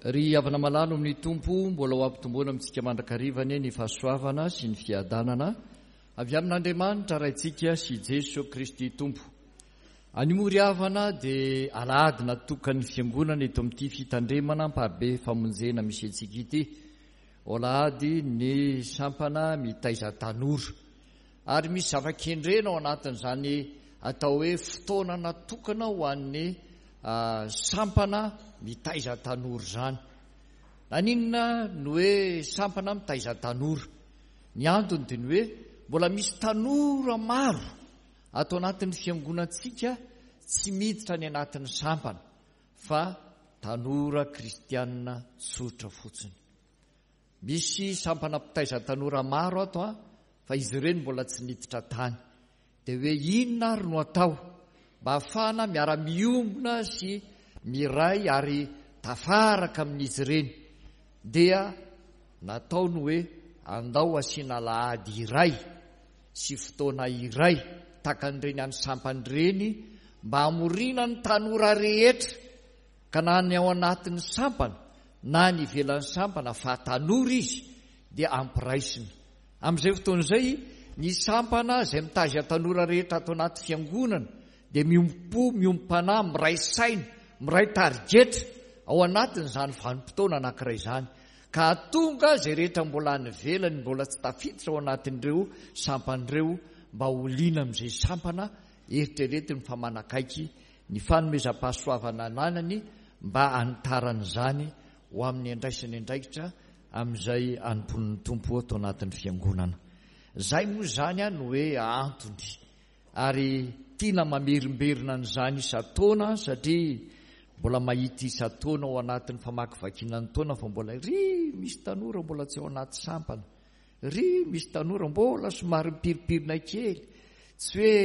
Ry havana malala amin'ny Tompo, mbola ho ampitomboina amintsika mandrakariva anie ny fahasoavana sy ny fiadanana avy amin'Andriamanitra Raintsika sy Jeso Kristy Tompo. Anio moa ry havana dia alahady natokan'ny Fiangonana eto amin'ity fitandremana Amparibe Famonjena misy antsika ity. Alahady ny sampana mitaiza tanora. Ary misy zava-kendrena ao anatin'izany atao hoe fotoana natokana ho an'ny sampana mitaiza tanora izany. Naninona no hoe sampana mitaiza tanora? Ny antony dia ny hoe mbola misy tanora maro ato anatin'ny fiangonantsika tsy miditra any anatin'ny sampana fa tanora kristianina tsotra fotsiny. Misy sampana mpitaiza tanora maro ato an, fa izy ireny mbola tsy niditra tany. Dia hoe inona ary no atao mba hahafahana miara-miombona sy miray ary tafaraka amin'izy ireny? Dia natao ny hoe andao asiana alahady iray sy fotoana iray takan'ireny any sampana ireny mba hamoriana ny tanora rehetra Ka na ny ao anatin'ny sampana na ny ivelan'ny sampana fa tanora izy dia ampiraisina. Amin'izay fotoana izay, ny sampana izay mitaiza tanora rehetra ato anaty fiangonana dia miombom-po, miombom-panahy, miray saina, miray tarigetra ao anatin'izany vanim-potoana anankiray izany. Ka hahatonga izay rehetra mbola any ivelany mbola tsy tafiditra ao anatin'ireo sampana ireo mba ho liana amin'izay sampana eritreretiny fa manakaiky ny fanomezam-pahasoavana ananany mba hanitarana izany ho amin'ny andraisany andraikitra amin'izay anompoan'ny Tompo ato anatin'ny Fiangonana. Izay moa izany no hoe antony ary tiana mamerimberina an'izany isan-taona satria mbola mahita isan-taona ao anatin'ny famakivakiana ny taona fa mbola ry misy tanora mbola tsy ao anaty sampana, ry misy tanora mbola somary mipirimpirina kely, tsy hoe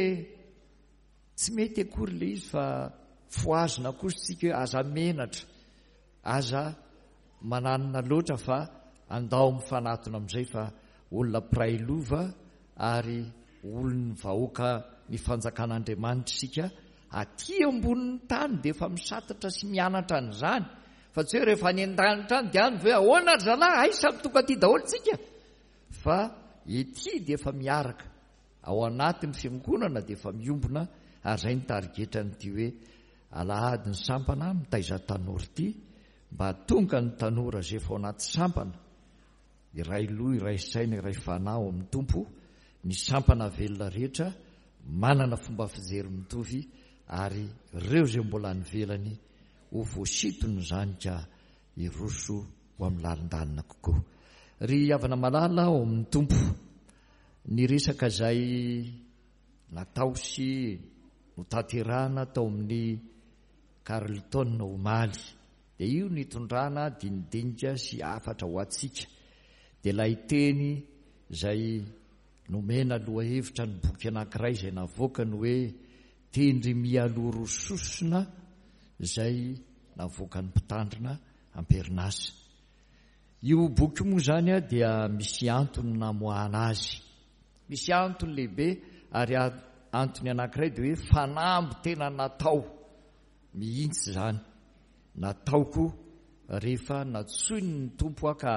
Tsy mety akory ilay izy fa fohazina kosa isika hoe aza menatra, aza mananona loatra fa andao mifanatona amin'izay fa olona mpiray lova ary olon'ny vahoaka ny fanjakan'Andriamanitra isika aty ambonin'ny tany dia efa misatatra sy mianatra an'izany fa tsy hoe rehefa any an-danitra any dia any ve ahoana ry zalahy hay samy tonga aty daholo tsika fa ety dia efa miaraka Ao anatin'ny fiangonana dia efa miombona ary izay ny tarigetran'ity hoe alahady ny sampana mitaiza tanora ity mba hahatonga ny tanora izay efa ao anaty sampana iray loha iray saina iray fanahy ao amin'ny Tompo ny sampana velona rehetra manana fomba fijery mitovy ary ireo izay mbola any ivelany ho voasintona izany ka hiroso ho amin'ny lalindalina kokoa. Ry havana malala ao amin'ny Tompo, ny resaka izay natao sy notanterahana tao amin'ny Carlton omaly, dia io nitondrana dinidinika sy hafatra ho antsika, dia ilay teny izay nomena lohahevitra ny boky anankiray izay navoakany hoe Tendry mialoha roa sosona izay navoakan'ny mpitandrina am-perinasa. Io boky io moa izany dia misy antony namoahana azy. Misy antony lehibe ary antony anankiray dia hoe fanamby tena natao mihitsy izany. Nataoko rehefa nantsoin'ny Tompo aho ka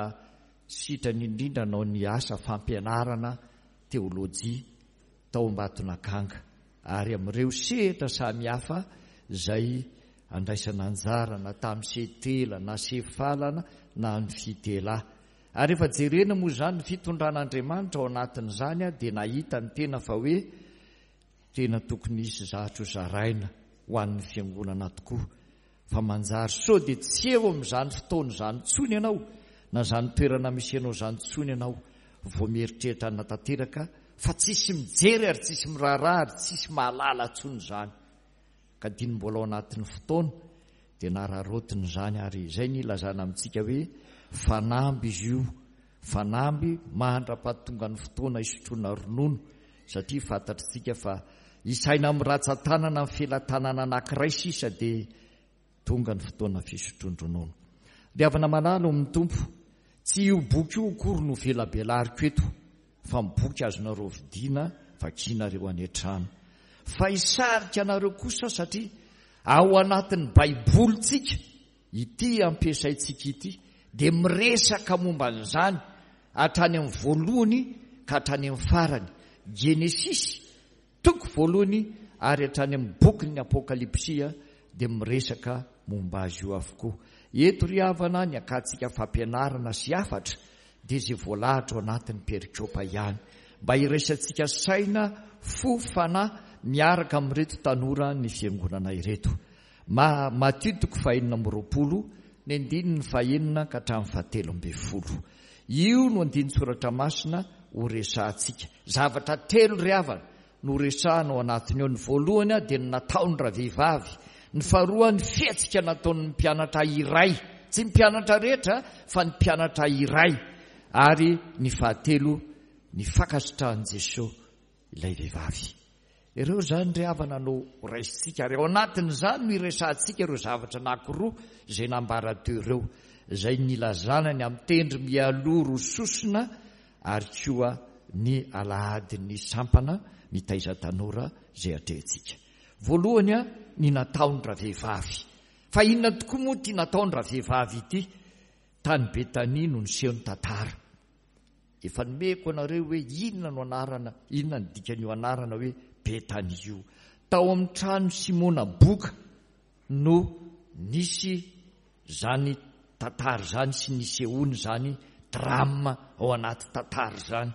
sitrany indrindra hanao ny asa fampianarana teolojia tao Ambatonakanga ary amin'ireo sehatra samihafa izay andraisana anjara na tamin'ny Setela na Sefalana na ny Fitela. Ary rehefa jerena moa izany ny fitondran'Andriamanitra ao anatin'izany dia nahita ny tena fa hoe tena tokony hisy zavatra ho zaraina ho an'ny fiangonana tokoa Fa manjary sao dia tsy eo amin'izany fotoana izany intsony ianao na izany toerana misy anao izany intsony ianao vao mieritreritra hanatanteraka fa tsisy mijery ary tsisy miraharaha ary tsisy mahalala intsony izany. Ka diny mbola ao anatin'ny fotoana dia nararaotina izany ary izay ny ilazana amintsika hoe fanamby izy io, fanamby mandra-pahatonga ny fotoana hisotroana ronono satria fantatritsika fa isaina amin'ny ratsan-tanana ny felatanana anankiray sisa dia tonga ny fotoana fisotroan-dronono. Ry havana malala ao amin'ny Tompo, tsy io boky io akory no velabelariko eto fa ny boky azonareo vidiana vakianareo any an-trano. Fa hisarika anareo kosa satria ao anatin'ny Baibolintsika. ity ampiasaintsika ity dia miresaka momba an'izany hatrany amin'ny voalohany ka hatrany amin'ny farany. Genesisy toko voalohany ary hatrany amin'ny bokin'ny Apokalypsy dia miresaka momba azy io avokoa. Eto ry havana ny akantsika fampianarana sy hafatra dia izay voalahatra ao anatin'ny perikopa ihany. Mba hiraisantsika saina, fo, fanahy miaraka amin'ireto tanora ny fiangonana ireto. Ma, Matio toko fahenina amby 20, ny andininy fahenina ka hatramin'ny fahatelo ambin'ny folo. Io no andinin-tsoratra masina ho resahantsika. Zavatra telo ry havana no resahana ao anatiny ao. Ny voalohany dia ny nataony ravehivavy. Ny faharoa ny fihetsika nataon'ny mpianatra iray. Tsy ny mpianatra rehetra fa ny mpianatra iray. Ary ny fahatelo ny fankasitrahan'i Jesoa ilay vehivavy. Ireo izany ry havana no raisintsika ary ao anatin'izany no iresahantsika ireo zavatra anankiroa izay nambara teo ireo, izay nilazana ny amin'ny tendry mialoha roa sosona ary koa ny alahadin'ny sampana mitaiza tanora izay atrehintsika. Voalohany ny nataon-dravehivavy. Fa inona tokoa moa ity nataon-dravehivavy ity? Tany Betania no niseho ny tantara. Efa nomeko anareo hoe inona no anarana, inona ny dikan'io anarana hoe Betania io. Tao amin'ny trano Simona boka no nisy izany tantara izany sy nisehoany izany drame ao anaty tantara izany.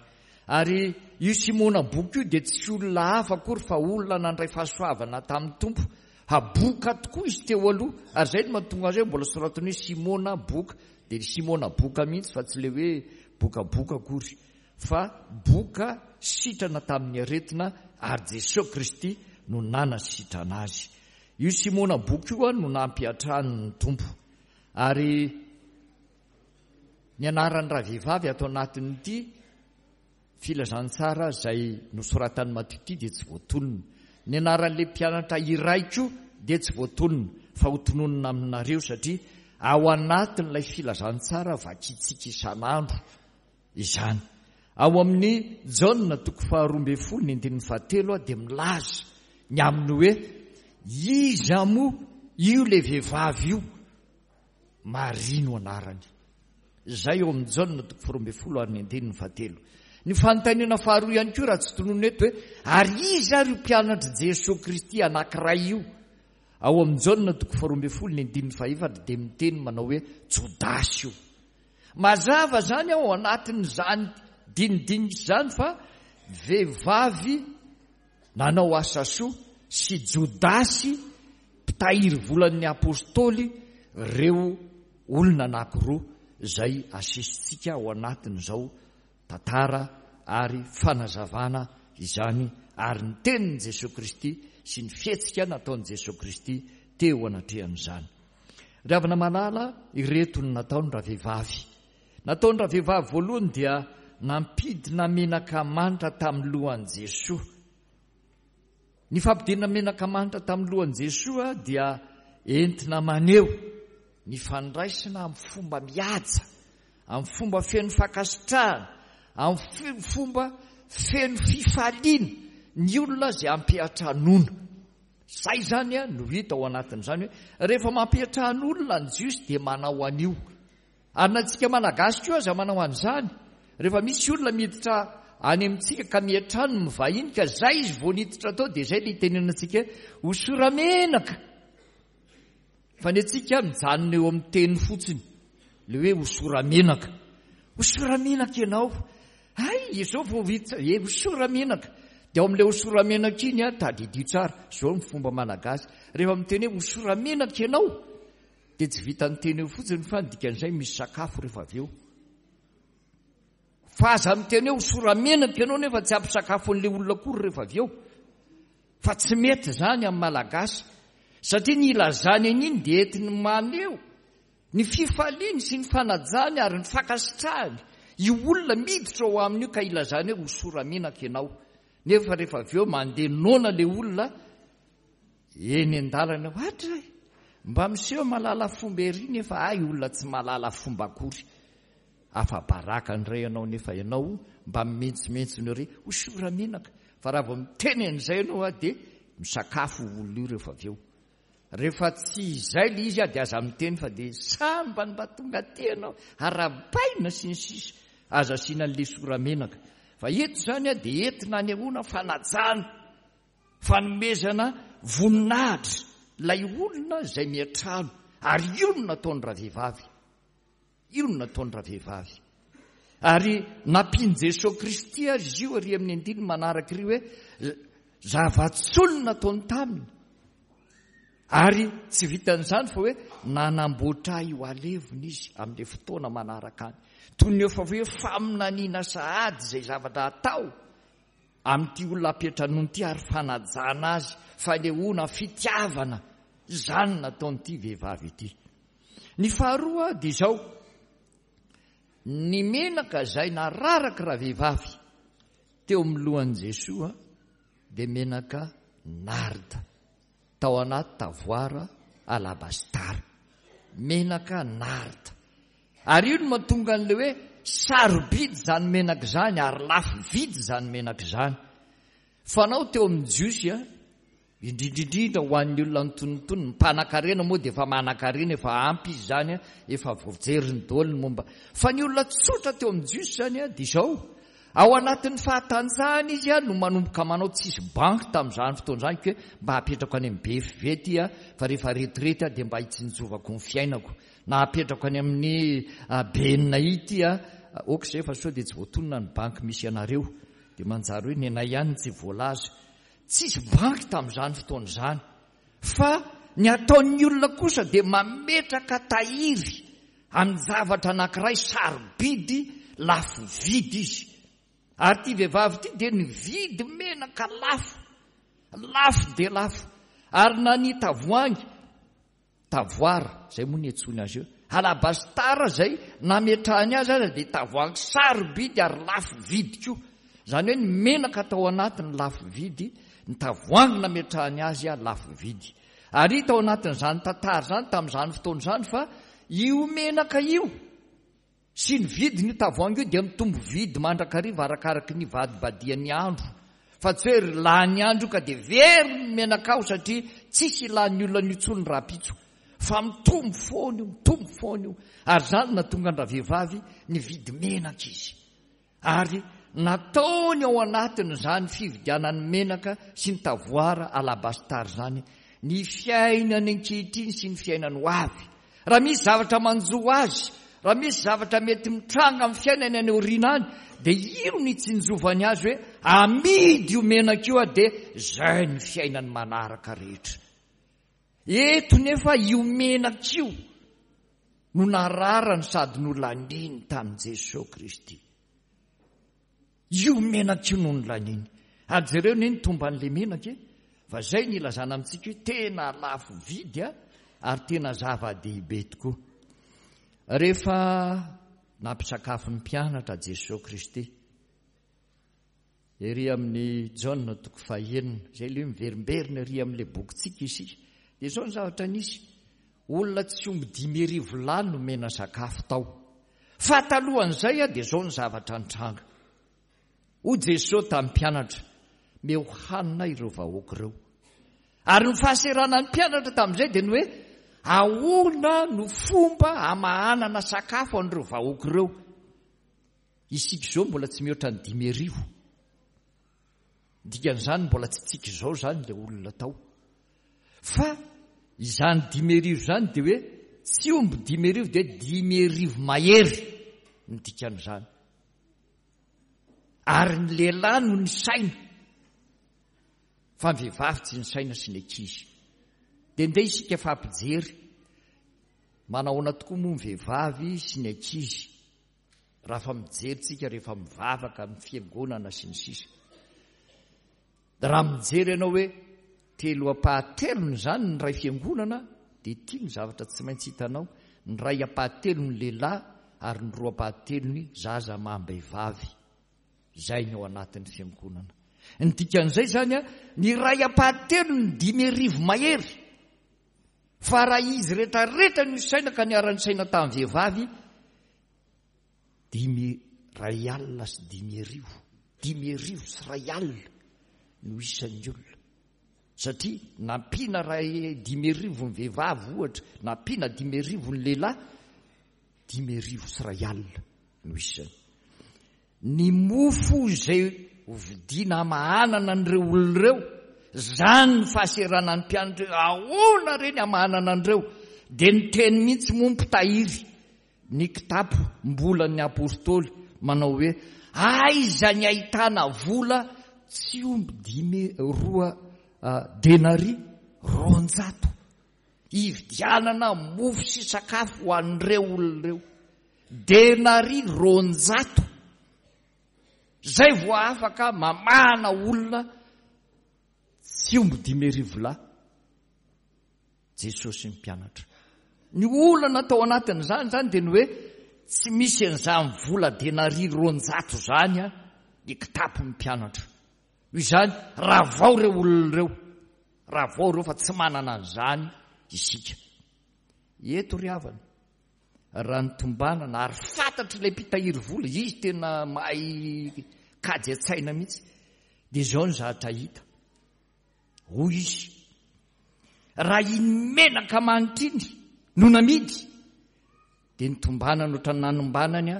Ary io Simona boka io dia tsy olona hafa akory fa olona nandray fahasoavana tamin'ny Tompo. Ha boka tokoa izy teo aloha, ary izay no mahatonga azy hoe mbola soratany hoe Simona boka. Dia ry Simona boka mihitsy fa tsy ilay hoe bokaboka akory fa boka sitrana tamin'ny aretina ary Jesoa Kristy no nanasitrana azy. Io Simona boka io no nampiantrano ny Tompo. Ary ny anaran'ny ravehivavy ato anatin'ity Filazantsara izay nosoratan'i Matio ity dia tsy voatonona. Ny anaran'ilay mpianatra iray koa dia tsy voatonona, fa hotononina aminareo satria ao anatin'ilay filazantsara vakintsika isan'andro izany. Ao amin'ny Jaona toko faharoa ambin'ny folo ny andininy fahatelo dia milaza ny amin'ny hoe iza moa io ilay vehivavy io? Maria no anarany. Izay eo amin'ny Jaona toko faharoa ambin'ny folo ary ny andininy fahatelo. Ny fanontaniana faharoa ihany koa raha tsy tononina eto hoe ary iza ary io mpianatr'i Jesoa Kristy anankiray io? Ao amin'ny Jaona toko faharoa ambin'ny folo ny andininy fahefatra dia miteny manao hoe Jodasy io. Mazava izany ao anatin'izany dinidinika izany fa vehivavy nanao asa soa sy Jodasy mpitahiry volan'ny Apostoly ireo olona anankiroa izay asesitsika ao anatin'izao tantara ary fanazavana izany ary ny tenin'i Jesoa Kristy sy ny fihetsika nataon'i Jesoa Kristy teo anatrehan'izany. Ry havana malala, ireto ny nataony ravehivavy. Nataony ravehivavy voalohany dia nampidina menaka manitra tamin'ny lohan'i Jesoa. Ny fampidinana menaka manitra tamin'ny lohan'i Jesoa dia entina maneho ny fandraisana amin'ny fomba mihaja, amin'ny fomba feno fankasitrahana, amin'ny fomba feno fifaliana ny olona izay ampiantranoana. Izay izany no hita ao anatin'izany hoe rehefa mampiantrano olona ny Jiosy dia manao an'io. Ary na antsika Malagasy koa aza manao an'izany. Rehefa misy olona miditra any amintsika ka miantrano ny vahiny ka zay izy vao niditra tao dia zay le itenenantsika hoe hosora-menaka. Fa ny antsika mijanona eo amin'ny teny fotsiny le hoe hosora-menaka. Hosora-menaka ianao. Hay, izao vao vita, e hosora-menaka. Dia ao amin'ilay hosora-menaka iny, tadidio tsara, izao ny fomba malagasy. Rehefa miteny hoe hosora-menaka ianao, Dia tsy vitan'ny teny eo fotsiny fa ny dikan'izay misy sakafo rehefa avy eo. Fa aza miteny hoe hosora-menaka ianao nefa tsy ampy sakafo an'ilay olona akory rehefa avy eo. Fa tsy mety izany amin'ny Malagasy. Satria ny ilazany an'iny dia entiny maneho ny fifaliany sy ny fanajany ary ny fankasitrahany io olona miditra ao aminy io ka ilazany hoe hosora-menaka ianao. Nefa rehefa avy eo mandeha noana ilay olona Eny an-dalana eo, Atra e! Mba miseho mahalala fomba ery nefa hay olona tsy mahalala fomba akory. Afa-baraka indray ianao nefa ianao mba mimentsomentsona ery, hosora menaka. Fa raha vao miteny an'izay ianao dia misakafo io olona io rehefa avy eo. Rehefa tsy izay ilay izy dia aza miteny fa dia sambany mba tonga aty ianao, arahabaina sy ny sisa Aza asiana an'ilay sora-menaka. Fa eto izany dia entina anehoana fanajana, fanomezana voninahitra ilay olona izay miantrano. Ary io no nataon'ny ravehivavy. Io no nataon'ny ravehivavy. Ary nampian'i Jesoa Kristy azy izy io ary amin'ny andininy manaraka iry hoe zava-tsoa no nataony taminy. Ary tsy vitan'izany fa hoe nanamboatra ahy ho alevina izy amin'ilay fotoana manaraka any. Toy ny efa hoe faminaniana sahady izay zavatra atao amin'ity olona ampiantranoina ity ary fanajana azy, fanehoana fitiavana izany nataon'ity vehivavy ity. Ny faharoa dia izao, ny menaka izay nararaky ravehivavy teo amin'ny lohan'i Jesoa dia menaka narda tao anaty tavoara alabastara. Menaka narda. Ary io no mahatonga an'ilay hoe sarobidy izany menaka izany ary lafo vidy izany menaka izany. Fanao teo amin'ny Jiosy Indrindra indrindra ho an'ny olona antonontonony, ny mpanakarena moa dia efa manankarena, efa ampy izy izany, efa voajeriny daholo ny momba. Fa ny olona tsotra teo amin'ny Jiosy izany dia izao, ao anatin'ny fahatanjahana izy no manomboka manao, tsisy banky tamin'izany fotoana izany koa mba apetrako any amin'ny BFV ity fa rehefa retirety aho dia mba hitsinjovako ny fiainako, na apetrako any amin'ny BNI ity, ok izay fa sao dia tsy voatonona ny banky misy anareo, dia manjary hoe ny anay ihany no tsy voalaza. Tsisy banky tamin'izany fotoana izany fa ny ataon'ny olona kosa dia mametraka tahiry amin'ny zavatra anankiray sarobidy lafo vidy izy. Ary ity vehivavy ity dia nividy menaka lafo, lafo dia lafo. Ary na ny tavoahangy Tavoara, izay moa niantsoany azy eo. Alabastara izay nametrahany azy aza dia tavoahangy sarobidy ary lafo vidy koa. Izany hoe ny menaka tao anatiny lafo vidy, ny tavoahangy nametrahany azy lafo vidy. Ary hita ao anatin'izany tantara izany tamin'izany fotoana izany fa io menaka io, Sy ny vidin' io tavoahangy io dia mitombo vidy mandrakariva arakaraky ny ivadibadihan' ny andro, fa tsy hoe ry lany andro io ka dia very ny menakao satria tsisy ilan' ny olona an'io intsony rahampitso, fa mitombo foana io, mitombo foana io, ary izany no nahatonga an-dravehivavy nividy menaka izy. Ary nataony ao anatin'izany fividianany menaka sy ny tavoara alabastar izany ny fiainany ankehitriny sy ny fiainany ho avy. Raha misy zavatra manjo azy, raha misy zavatra mety mitranga amin'ny fiainany any aoriana any, dia io no itsinjovany azy hoe amidy io menaka io dia izay ny fiainany manaraka rehetra. Eto nefa io menaka io no nararany sady nolaniny tamin'i Jesoa Kristy. Io menaka io no nolaniny. Ary jereo anie ny tomban'ilay menaka e! Fa izay no ilazana amintsika hoe tena lafo vidy a, ary tena zava-dehibe tokoa. Rehefa nampisakafo ny mpianatra Jesoa Kristy, Ery amin'ny Jaona toko fahenina, izay ilay hoe miverimberina ery amin'ilay bokintsika isika, dia izao ny zavatra nisy, olona tsy omby 5000 lahy nomena sakafo tao. Fa talohan'izay dia izao ny zavatra nitranga. Hoy Jesoa tamin'ny mpianatra, Meo hanina ireo vahoaka ireo. Ary ny fahaseranan'ny mpianatra tamin'izay dia ny hoe, ahoana no fomba hamahanana sakafo an'ireo vahoaka ireo? Isika izao mbola tsy mihoatra ny 5000. Ny dikan'izany mbola tsy tsika izao izany ilay olona tao. Fa izany 5000 izany dia hoe tsy omby 5000 dia 5000 mahery ny dikan'izany. Ary ny lehilahy no nisaina fa ny vehivavy tsy nisaina sy ny ankizy. Dia ndeha isika fa hampijery manahoana tokoa moa ny vehivavy sy ny ankizy. Raha fa mijery tsika rehefa mivavaka amin'ny fiangonana sy ny sisa. Raha mijery ianao hoe telo ampahatelony izany ny ray fiangonana dia ity ny zavatra tsy maintsy hitanao, ny ray ampahatelony lehilahy ary ny roa ampahatelony zaza amam-behivavy. Izay ny ao anatin'ny fiangonana. Ny dikan'izay izany, ny ray ampahatelony 5000 mahery. Fa raha izy retraretra no isaina ka niara-nisaina tamin'ny vehivavy, 1051 50 1001 no isan'ny olona. Satria nampiana raha 1050 ny vehivavy ohatra, nampiana 1050 ny lehilahy, 1050 no isany. Ny mofo izay hovidiana hamahanana an'ireo olona ireo, izany ny fahaseranan'ny mpianatra hoe ahoana re ny hamahanana an'ireo? Dia niteny mihitsy moa ny mpitahiry ny kitapo mbolan'ny apostoly manao hoe aiza ny ahitana vola tsy omby dimy roa denaria 200 hividianana mofo sy sakafo ho an'ireo olona ireo. Denaria 200 izay vao afaka mamahana olona tsy omby 1050 lahy. Jesosy sy ny mpianatra. Ny olana tao anatin'izany izany dia ny hoe tsy misy an'izany vola denaria 200 izany ny kitapon'ny mpianatra. Noho izany, ravao ireo olona ireo. Ravao ireo fa tsy manana an'izany isika. Eto ry havana, raha ny tombanana ary fantatr'ilay mpitahiry vola, izy tena mahay kajy an-tsaina mihitsy, dia izao ny zavatra hita. Hoy izy, raha iny menaka manitra iny no namidy, dia ny tombanana ohatran'ny nanombanany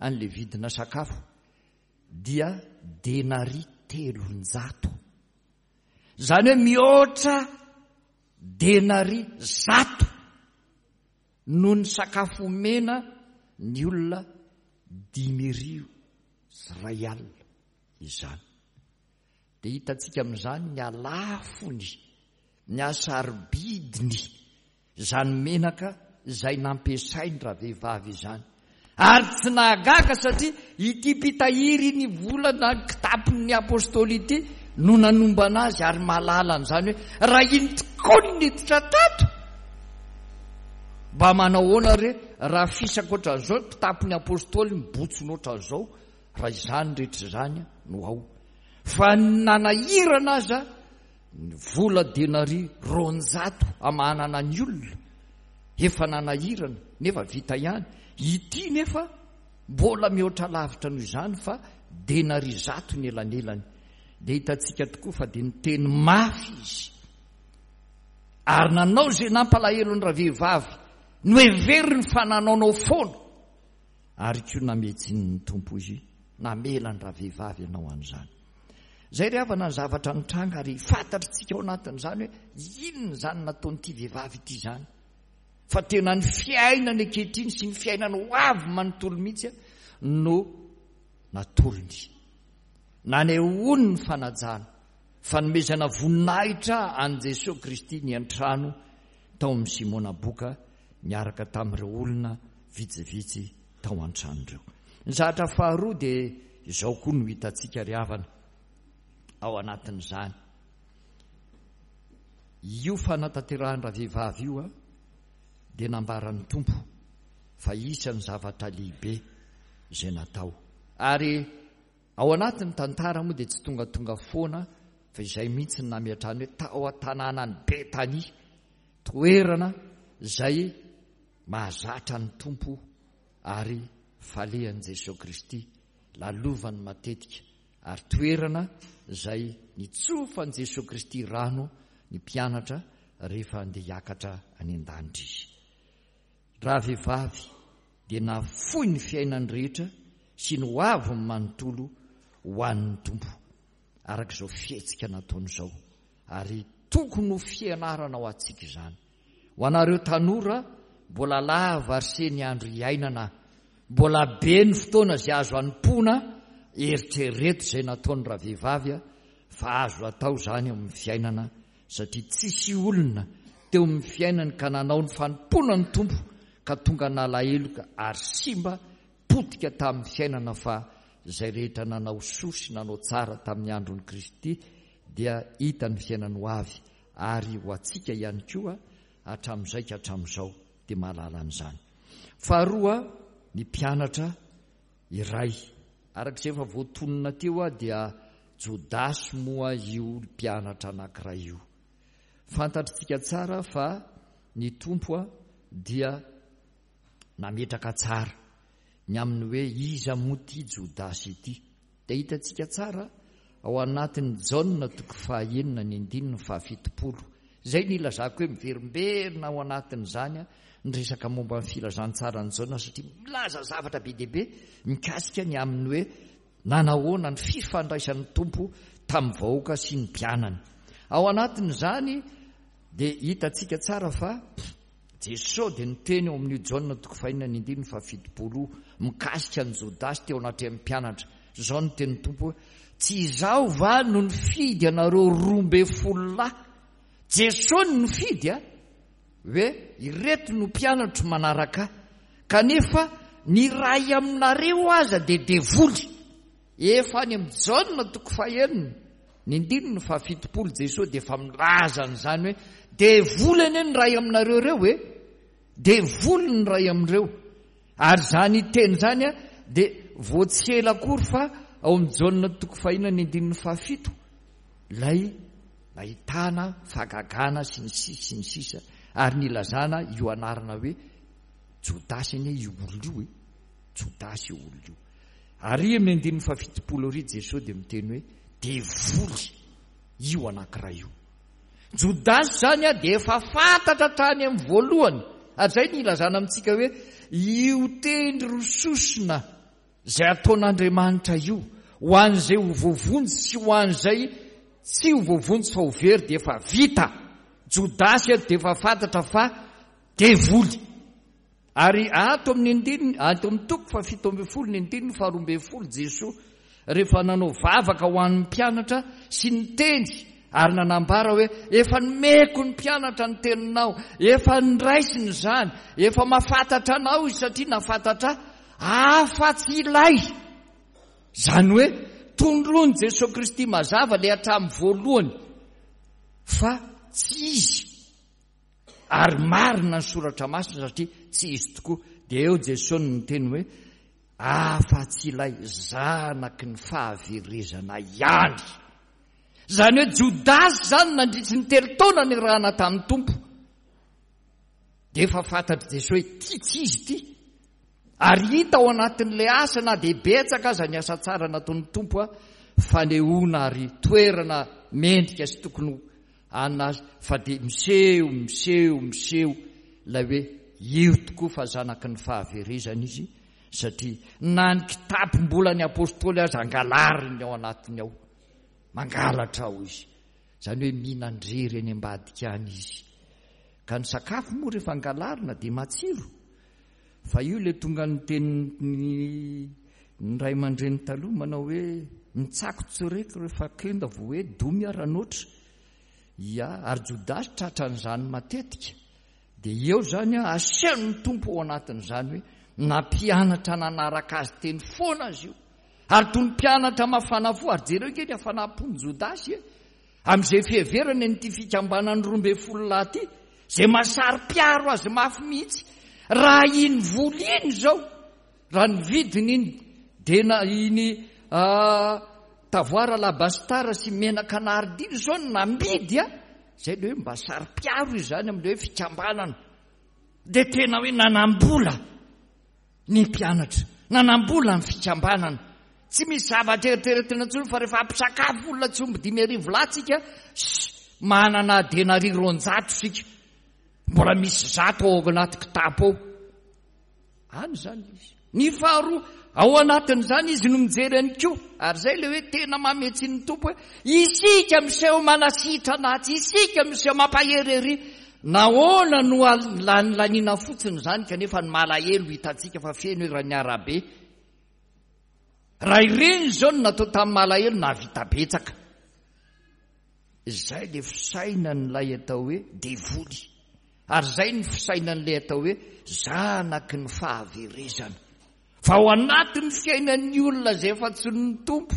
an'ilay vidina sakafo, dia denaria 300. Izany hoe mihoatra denaria 100 noho ny sakafo omena ny olona 1050 izany. Dia hitantsika amin'izany ny halafony, ny hasarobidiny izany menaka izay nampiasain-dravehivavy izany. Ary tsy nahagaga satria ity mpitahiry ny vola na ny kitapon'ny apostoly ity no nanombana azy ary mahalala an'izany hoe raha iny tokoa ny niditra tato, mba manao ahoana re raha fisaka ohatran'izao ny kitapon'ny apostoly mibotsina ohatran'izao raha izany rehetra izany no ao. Fa ny nanahirana aza ny vola denaria 200 amahanana ny olona efa nanahirana nefa vita ihany, ity nefa mbola mihoatra lavitra noho izany fa denaria 100 ny elanelany. Dia hitantsika tokoa fa dia niteny mafy izy ary nanao izay nampalahelo ny ravehivavy noheveriny fa nanaonao foana. Ary koa namehy ny Tompo izy, namela ny ravehivavy hanao an'izany. Izay ry havana ny zavatra nitranga ary fantatritsika ao anatin'izany hoe inona izany nataon'ity vehivavy ity izany. Fa tena ny fiainany ankehitriny sy ny fiainany ho avy manontolo mihitsy no natolony. Nanehoany ny fanajana, fanomezana voninahitra an'i Jesoa Kristy niantrano tao amin'i Simona Boka niaraka tamin'ireo olona vitsivitsy tao an-trano ireo. Ny zavatra faharoa dia izao koa no hitantsika ry havana ao anatin'izany. Io fanatanterahan-dravehivavy io dia nambaran'ny Tompo fa isan'ny zavatra lehibe izay natao. Ary ao anatin'ny tantara moa dia tsy tongatonga foana fa izay mihitsy no nametrahany hoe tao an-tanànan'i Betania, toerana izay mahazatra ny Tompo ary falehan'i Jesoa Kristy, lalovany matetika, ary toerana izay nitsofan'i Jesoa Kristy rano ny mpianatra rehefa handeha hiakatra any an-danitra Izy. Ravehivavy dia nahafoy ny fiainany rehetra sy ny hoaviny manontolo ho an'ny Tompo, araka izao fihetsika nataony izao, ary tokony ho fianarana ho antsika izany. Ho anareo tanora, mbola lava ry se ny andro iainana, mbola be ny fotoana izay azo anompoana, eritrereto izay nataony ravehivavy fa azo atao izany eo amin'ny fiainana satria tsisy olona teo amin'ny fiainany ka nanao ny fanompoana ny Tompo ka tonga nalahelo ary simba potika tamin'ny fiainana fa izay rehetra nanao soa sy nanao tsara tamin'ny andron'i Kristy dia hita ny fiainany ho avy ary ho antsika ihany koa hatramin'izay ka hatramin'izao dia mahalala an'izany. Faharoa, ny mpianatra iray. Araka izay efa voatonona teo dia Jodasy moa io mpianatra anankiray io. Fantatritsika tsara fa ny Tompo dia nametraka tsara ny amin'ny hoe iza moa ity Jodasy ity. Dia hitantsika tsara ao anatin'ny Jaona toko fahaenina ny andininy fahafitopolo. Izay no ilazako hoe miverimberina ao anatin'izany ny resaka momba ny filazantsaran'i Jaona satria milaza zavatra be dia be mikasika ny amin'ny hoe nanahoana ny fifandraisan'ny Tompo tamin'ny vahoaka sy ny mpianany. Ao anatin'izany dia hitantsika tsara fa Jesoa dia niteny ao amin'io Jaona toko fahenina ny andininy fahafitopolo io mikasika an'i Jodasy teo anatrehan'ny mpianatra. Izao no tenin'ny Tompo hoe, Tsy izaho va no nifidy anareo 12 lahy? Jesoa no nifidy a! Hoe ireto no mpianatro manaraka ahy. Kanefa ny iray aminareo aza dia devoly. Efa any amin'ny Jaona toko fahenina, ny andininy fahafitopolo Jesoa dia efa milaza an'izany hoe devoly anie ny iray aminareo ireo e! Devoly ny iray amin'ireo. Ary izany teny izany dia vao tsy ela akory fa ao amin'ny Jaona toko fahenina ny andininy fahafito ilay nahitana fahagagana sy ny sisa sy ny sisa ary nilazana io anarana hoe Jodasy anie io olona io e! Jodasy io olona io. Ary amin'ny andininy fahafitopolo ary Jesoa dia miteny hoe devoly io anankiray io. Jodasy izany dia efa fantatra hatrany amin'ny voalohany. Ary izay no ilazana amintsika hoe io tendry rososona izay ataon'Andriamanitra io ho an'izay ho voavonjy sy ho an'izay tsy ho voavonjy fa ho very dia efa vita. Jodasy dia efa fantatra fa devoly. Ary ato amin'ny andininy, ato amin'ny toko faha-17 ny andininy faha-12 Jesoa rehefa nanao vavaka ho an'ny mpianatra sy niteny ary nanambara hoe efa nomeko ny mpianatra ny teninao, efa niraisiny izany, efa mahafantatra anao izy satria nahafantatra ahy afa-tsy ilay. Izany hoe tondroin'i Jesoa Kristy mazava ilay hatramin'ny voalohany fa tsy izy. Ary marina ny soratra masina satria tsy izy tokoa. Dia eo Jesoa no niteny hoe, afa-tsy ilay zanaky ny fahaverezana ihany. Izany hoe Jodasy izany nandritry ny telo taona niarahana tamin'ny Tompo. Dia efa fantatr'i Jesoa hoe ity tsy izy ity. Ary hita ao anatin'ilay asa na dia betsaka aza ny asa tsara nataon'ny Tompo, fanehoana ary toerana mendrika sy tokony Ana fa dia miseho, miseho, miseho ilay hoe io tokoa fa zanaky ny fahaverezana izy satria na ny kitapom-bolan'ny apostoly aza angalariny ao anatiny ao. Mangalatra ao izy. Izany hoe mihinan-drery any ambadika any izy. Ka ny sakafo moa rehefa angalarina dia matsiro. Fa io ilay tonga ny tenin'ny ny ray aman-dreny taloha manao hoe mitsako tsoreko rehefa kenda vao hoe domy aho ranoatra. Ia, ary Jodasy tratran'izany matetika. Dia eo izany an, asehon'ny Tompo ao anatin'izany hoe nampianatra nanaraka azy teny foana azy io. Ary toy ny mpianatra mafana fo, ary jereo ange ny hafanam-pon'i Jodasy e. Amin'izay fiheverany an'ity fikambanan'ny 12 lahy ity, izay mahasaro-piaro azy mafy mihitsy, raha iny vola iny izao, raha ny vidiny iny, dia na iny tavoara alabastara sy menaka nardi iny izao no namidy a, izay ilay hoe mba saro-piaro izany amin'ilay hoe fikambanana, dia tena hoe nanam-bola. ny mpianatra, nanam-bola ny fikambanana. Tsy misy zavatra eritreretina intsony fa rehefa hampisakafo olona tsy omby 5000 lahy tsika, shh, manana denaria 200 isika. Mbola misy 100 ao anaty kitapo ao. Any izany izy. Ny faharoa, ao anatin'izany izy no mijery ihany koa. Ary izay ilay hoe tena mametsi ny Tompo hoe isika miseho manasitrana atsy, isika miseho mampahery ery. Nahoana no lanilaniana fotsiny izany kanefa ny malahelo hitantsika fa feno eran'ny arabe? Raha ireny izao no natao tamin'ny malahelo nahavita betsaka. Izay ilay fisainan'ilay atao hoe devoly. Ary izay ny fisainan'ilay atao hoe zanaky ny fahaverezana. Fa ao anatin'ny fiainan'ny olona izay efa tsy ny Tompo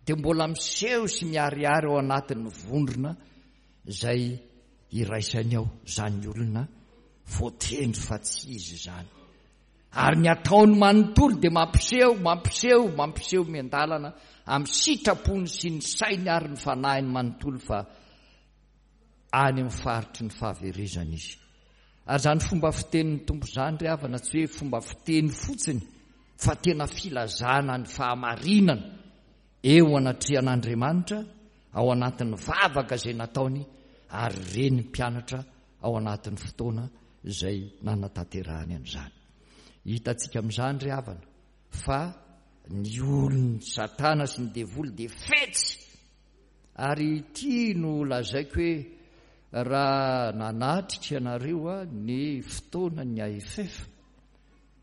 dia mbola miseho sy miharihary ao anatin'ny vondrona izay iraisany ao izany olona voatendry fa tsy izy izany. Ary ny ataony manontolo dia mampiseho, mampiseho, mampiseho miandalana amin'ny sitrapony sy ny sainy ary ny fanahiny manontolo fa any amin'ny faritry ny fahaverezana izy. Ary izany fomba fitenin'ny Tompo izany ry havana tsy hoe fomba fiteny fotsiny fa tena filazana ny fahamarinana. eo anatrehan'Andriamanitra ao anatin'ny vavaka izay nataony ary reny mpianatra ao anatin'ny fotoana izay nanatanterahany an'izany. Hitantsika amin'izany ry havana fa ny olon'ny Satana sy ny devoly dia fetsy. Ary ity no lazaiko hoe raha nanatrika ianareo ny fotoanan'ny AFF,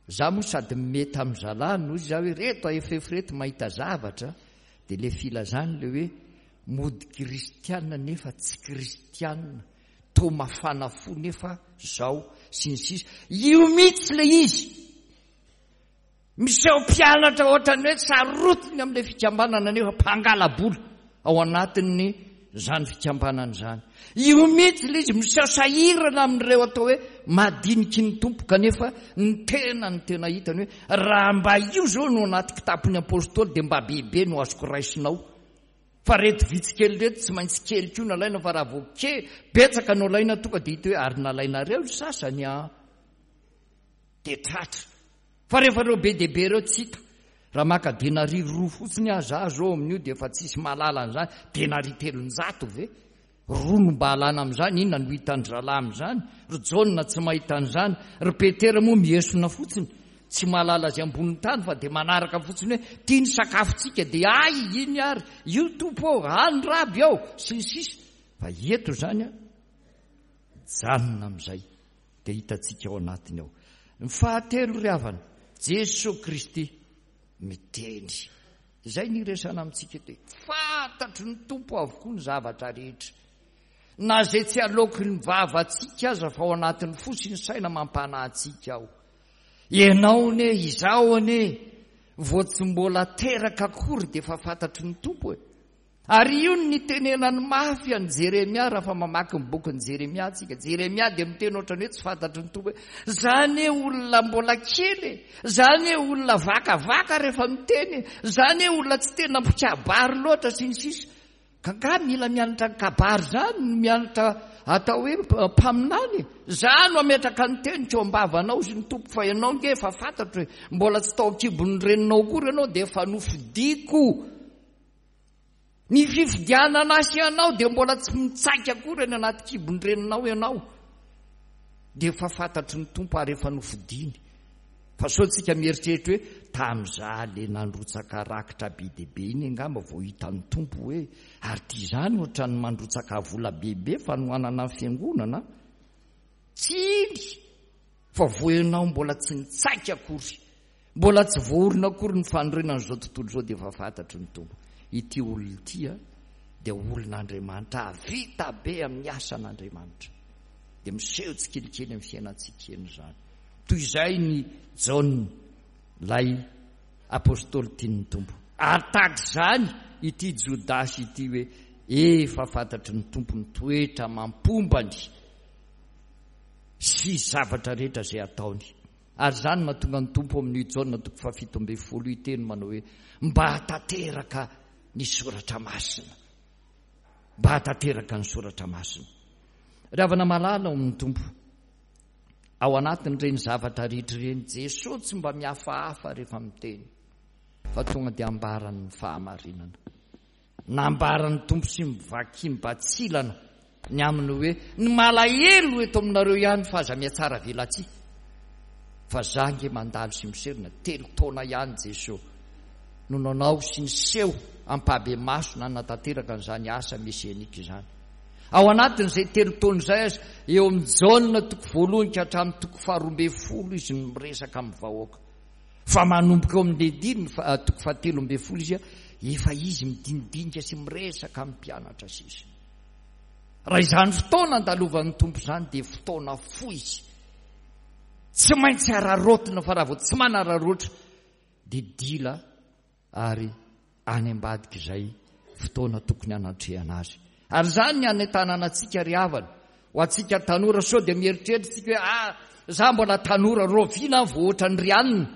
za moa sady mety amin'ny zalahy no izy hoe reto AFF reto mahita zavatra, dia le filazany le hoe mody kristiana nefa tsy kristiana, toa mafana fo nefa zao sy ny sisa. Io mihitsy le izy. Miseho mpianatra ohatran'ny hoe sarotiny amin'ilay fikambanana nefa mpangala-bola ao anatin'ny izany fikambanana izany. Io mihitsy ilay izy miseho sahirana amin'ireo atao hoe madiniky ny Tompo kanefa ny tena ny tena hitany hoe raha mba io izao no anaty kitapon'ny apostoly dia mba bebe no azoko raisinao. Fa reto vitsy kely reto tsy maintsy kely koa nalaina fa raha vao kely betsaka no alaina tonga dia hita hoe ary nalainareo ny sasany an! Dia tratra. Fa rehefa ireo be dia be ireo tsy hita. Raha maka denaria roa fotsiny aza aho zao amin'io dia efa tsisy mahalala an'izany. Denaria 300 ve? Roa no mba alana amin'izany, inona no hitan-dry zalahy amin'izany? Ry Jaona tsy mahita an'izany, ry Petera moa miesona fotsiny, tsy mahalala izay ambonin'ny tany fa dia manaraka fotsiny hoe ity ny sakafontsika dia ay iny ary, io Tompo ô, any Raby ô, sy ny sisa. Fa eto izany an, mijanona amin'izay. dia hitantsika ao anatiny ao. Ny fahatelo ry havana, Jesoa Kristy miteny. Izay ny iresana amintsika eto hoe fantatry ny Tompo avokoa ny zavatra rehetra. Na izay tsy aloaky ny vavantsika aza fa ao anatin'ny fo sy ny saina mampanahy antsika ao. Ianao anie, izaho anie, vao tsy mbola teraka akory dia efa fantatry ny Tompo e. Ary io no nitenenany mafy an'i Jeremia raha fa mamaky ny bokin'i Jeremia tsika. Jeremia dia miteny ohatran'ny hoe tsy fantatry ny Tompo hoe, za anie olona mbola kely e, za anie olona vakavaka rehefa miteny e, za anie olona tsy tena mpikabary loatra sy ny sisa. Ka nga mila mianatra ny kabary zany no mianatra atao hoe mpaminany e? Za no hametraka ny teniko eo am-bavanao hozy ny Tompo fa ianao nge efa fantatro e, mbola tsy tao an-kibon'ny reninao akory ianao dia efa nofidiko. Ny fifidianana ahy sy ianao dia mbola tsy mitsaika akory any anaty kibon-dreninao ianao. Dia efa fantatry ny Tompo ary efa nofidiny. Fa sao tsika mieritreritra hoe tamin'izaho le nandrotsaka rakitra be dia be iny angamba vao hitan'ny Tompo hoe ary ity izany ohatran'ny mandrotsaka vola bebe fanohanana ny fiangonana. Tsy iny fa vao ianao mbola tsy nitsaika akory. Mbola tsy voaorina akory ny fanorenan'izao tontolo izao dia efa fantatry ny Tompo. Ity olona ity dia olon'Andriamanitra, hahavita be amin'ny asan'Andriamanitra. Dia miseho tsikelikely amin'ny fiainantsika eny izany. Toy izay ny Jaona, ilay apostoly tian'ny Tompo. Ary tahaka izany ity Jodasy ity hoe efa fantatry ny Tompo ny toetra amam-pombany sy zavatra rehetra izay ataony. Ary izany no mahatonga ny Tompo amin'io Jaona toko faha-17 io hiteny manao hoe, Mba hahatanteraka ny Soratra Masina. Mba hahatanteraka ny Soratra Masina. Ry havana malala ao amin'ny Tompo, ao anatin'ireny zavatra rehetra ireny, Jesoa tsy mba mihafahafa rehefa miteny, fa tonga dia ambarany ny fahamarinana. Nambaran'ny Tompo sy mivaky mibatsilana ny aminy hoe, ny malahelo eto aminareo ihany fa aza mihatsara velatsihy. Fa za nge mandalo sy miserina, telo taona ihany Jeso no nanao sy niseho ampahabemaso nanatanteraka an'izany asa mesianika izany. Ao anatin'izay telo taona izay aza, eo amin'i Jaona toko voalohany ka hatramin'ny toko faha-12 izy no miresaka amin'ny vahoaka. Fa manomboka eo amin'ny andininy toko faha-13 izy, efa izy midinidinika sy miresaka amin'ny mpianatra sisa. Raha izany fotoana andalovan'ny Tompo izany dia fotoana fohy izy. Tsy maintsy araraotina fa raha vao tsy manararaotra dia dila ary any ambadik'izay fotoana tokony hanatrehana azy. Ary izany ny hanentanana antsika ry havana, ho antsika tanora sao dia mieritreritra isika hoe ah, za mbola tanora, rahoviana aho vao ohatran'ny ry anona,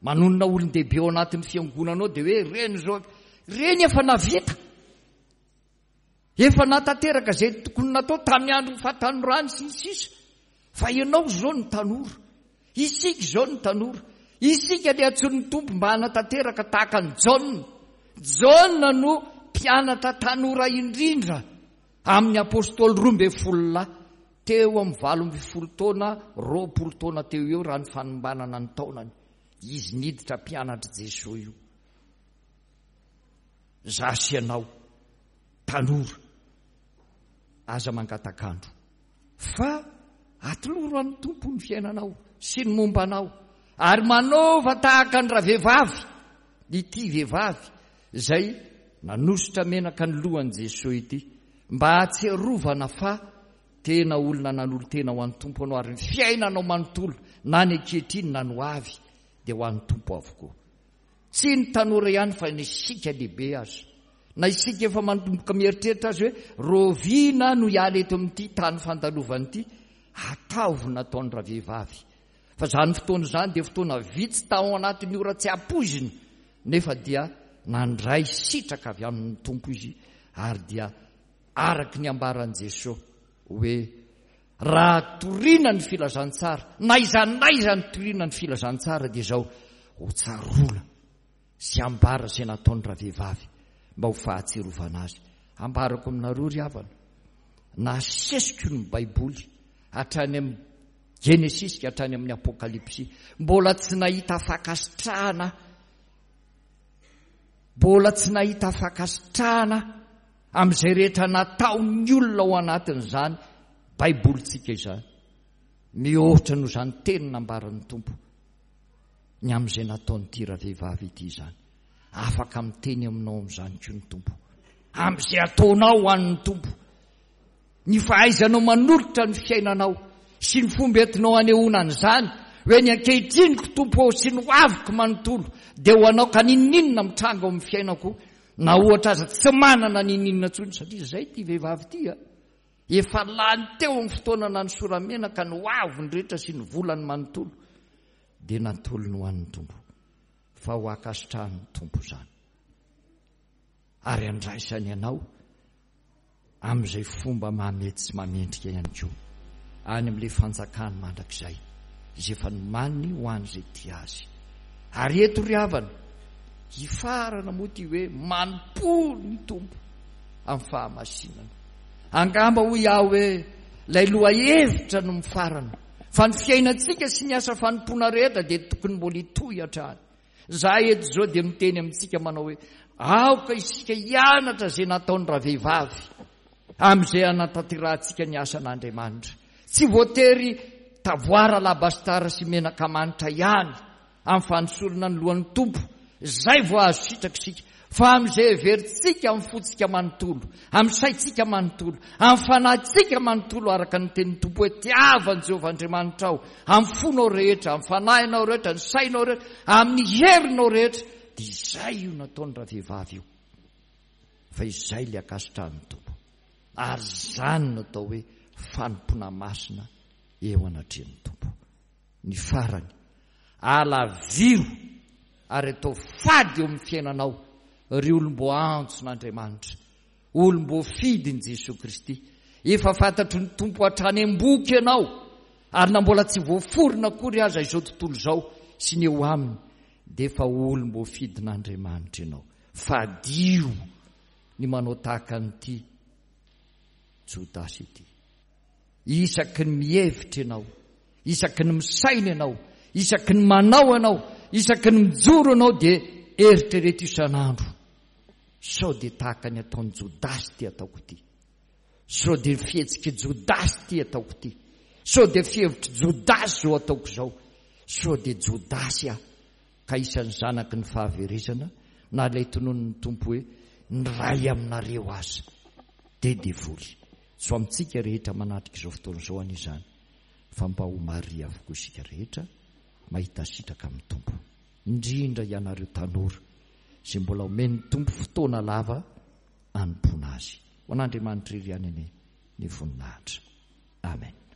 manonona olon-dehibe ao anatin'ny fiangonana ao dia hoe ireny izao, ireny efa navita. Efa nahatanteraka izay tokony natao tamin'ny andron'ny fahatanorany sy ny sisa. Fa ianao izao no tanora. Isika izao no tanora. Isika ilay antsoin'ny Tompo mba hanatanteraka tahaka an'i Jaona. Jaona no mpianatra tanora indrindra amin'ny apostoly 12 lahy, teo amin'ny 18 taona, 20 taona teo eo raha ny fanombanana ny taonany. Izy niditra mpianatr'i Jesoa io. Za sy ianao, tanora, aza mangatak'andro. Fa atoloro an'ny Tompo ny fiainanao sy ny momba anao, ary manaova tahaka ny ravehivavy, ity vehivavy izay nanosotra menaka ny lohan'i Jesoa ity, mba hahatsiarovana fa tena olona nanolo-tena ho an'ny Tompo anao, ary ny fiainanao manontolo, na ny ankehitriny na ny ho avy, dia ho an'ny Tompo avokoa. Tsy ny tanora ihany fa ny isika lehibe aza. Na isika efa manomboka mieritreritra aza hoe rahoviana no hiala eto amin'ity tany fandalovana ity, ataovy nataon'ny ravehivavy. Fa izany fotoana izany dia fotoana vitsy tao anatin'ny ora tsy ampoizina, nefa dia nandray sitraka avy amin'ny Tompo izy ary dia araka ny ambaran'i Jesoa hoe Raha torina ny filazantsara, na aiza na aiza ny torina ny filazantsara dia izao, ho tsaroana sy ambara izay nataony ravehivavy mba ho fahatsiarovana azy. Ambarako aminareo ry havana, nasesiko ny Baiboly hatrany amin'ny Genesisy ka hatrany amin'ny Apokalypsy, mbola tsy nahita fankasitrahana aho, mbola tsy nahita fankasitrahana aho amin'izay rehetra nataon'ny olona ao anatin'izany Baibolintsika izany. Mihoatra noho izany teny nambaran'ny Tompo ny amin'izay nataon'ity ravehivavy ity izany. Afaka miteny aminao amin'izany koa ny Tompo. Amin'izay ataonao ho an'ny Tompo. Ny fahaizanao manolotra ny fiainanao sy ny fomba entinao anehoana an'izany hoe ny ankehitriniko Tompo ô sy ny hoaviko manontolo dia ho anao ka n'inon'inona mitranga ao amin'ny fiainako Na ohatra aza tsy manana n'inon'inona intsony satria izay ity vehivavy ity a! Efa lany teo amin'ny fotoana nanosoramena ka ny hoaviny rehetra sy ny volany manontolo dia natolony ho an'ny Tompo. Fa ho ankasitrahan'ny Tompo izany. Ary andraisany anao amin'izay fomba mahamety sy mahamendrika ihany koa, any amin'ilay fanjakany mandrakizay, izay efa nomaniny ho an'izay tia azy. Ary eto ry havana, hifarana moa ity hoe manompo ny Tompo amin'ny fahamasinana. Angamba hoy aho hoe ilay lohahevitra no mifarana, fa ny fiainantsika sy ny asa fanompoana rehetra dia tokony mbola hitohy hatrany. Za eto izao dia miteny amintsika manao hoe aoka isika hianatra izay nataon'ny ravehivavy amin'izay hanatanterahantsika ny asan'Andriamanitra. Tsy voatery tavoara alabastara sy menaka manitra ihany amin'ny fanosorana ny lohan'ny Tompo izay vao azo sitraka isika fa amin'izay heverintsika amin'ny fontsika manontolo, amin'ny saintsika manontolo, amin'ny fanahintsika manontolo araka ny tenin'ny Tompo hoe tiava an'i Jehovah Andriamanitrao amin'ny fonao rehetra, amin'ny fanahinao rehetra, ny sainao rehetra, amin'ny herinao rehetra, dia izay io nataony ravehivavy io. Fa izay ilay ankasitrahan'ny Tompo. Ary izany no atao hoe fanompoana masina eo anatrehan'ny Tompo. Ny farany, alaviro ary atao fady eo amin'ny fiainanao ry olom-boaantson'Andriamanitra, olom-boafidin'i Jesoa Kristy. Efa fantatry ny Tompo hatrany am-boky ianao, ary na mbola tsy voaforona akory aza izao tontolo izao sy ny eo aminy, dia efa olom-boafidin'Andriamanitra ianao. Fadio ny manao tahaka an'ity Jodasy ity. Isaky ny mihevitra ianao, isaky ny misaina ianao, isaky ny manao ianao, isaky ny mijoro ianao dia eritrereto isan'andro sao dia tahaka ny ataon'i Jodasy ity ataoko ity. Sao dia ny fihetsik'i Jodasy ity ataoko ity. Sao dia fihevitr'i Jodasy izao ataoko izao. Sao dia Jodasy aho ka isan'ny zanaky ny fahaverezana na ilay tononin'ny Tompo hoe ny iray aminareo aza dia devoly. Tsy ho amintsika rehetra manatrika izao fotoana izao anie izany fa mba ho maria avokoa isika rehetra mahita sitraka amin'ny Tompo. Indrindra ianareo tanora izay mbola omen'ny Tompo fotoana lava hanompoana Azy. Ho an'Andriamanitra irery ihany anie ny voninahitra. Amen.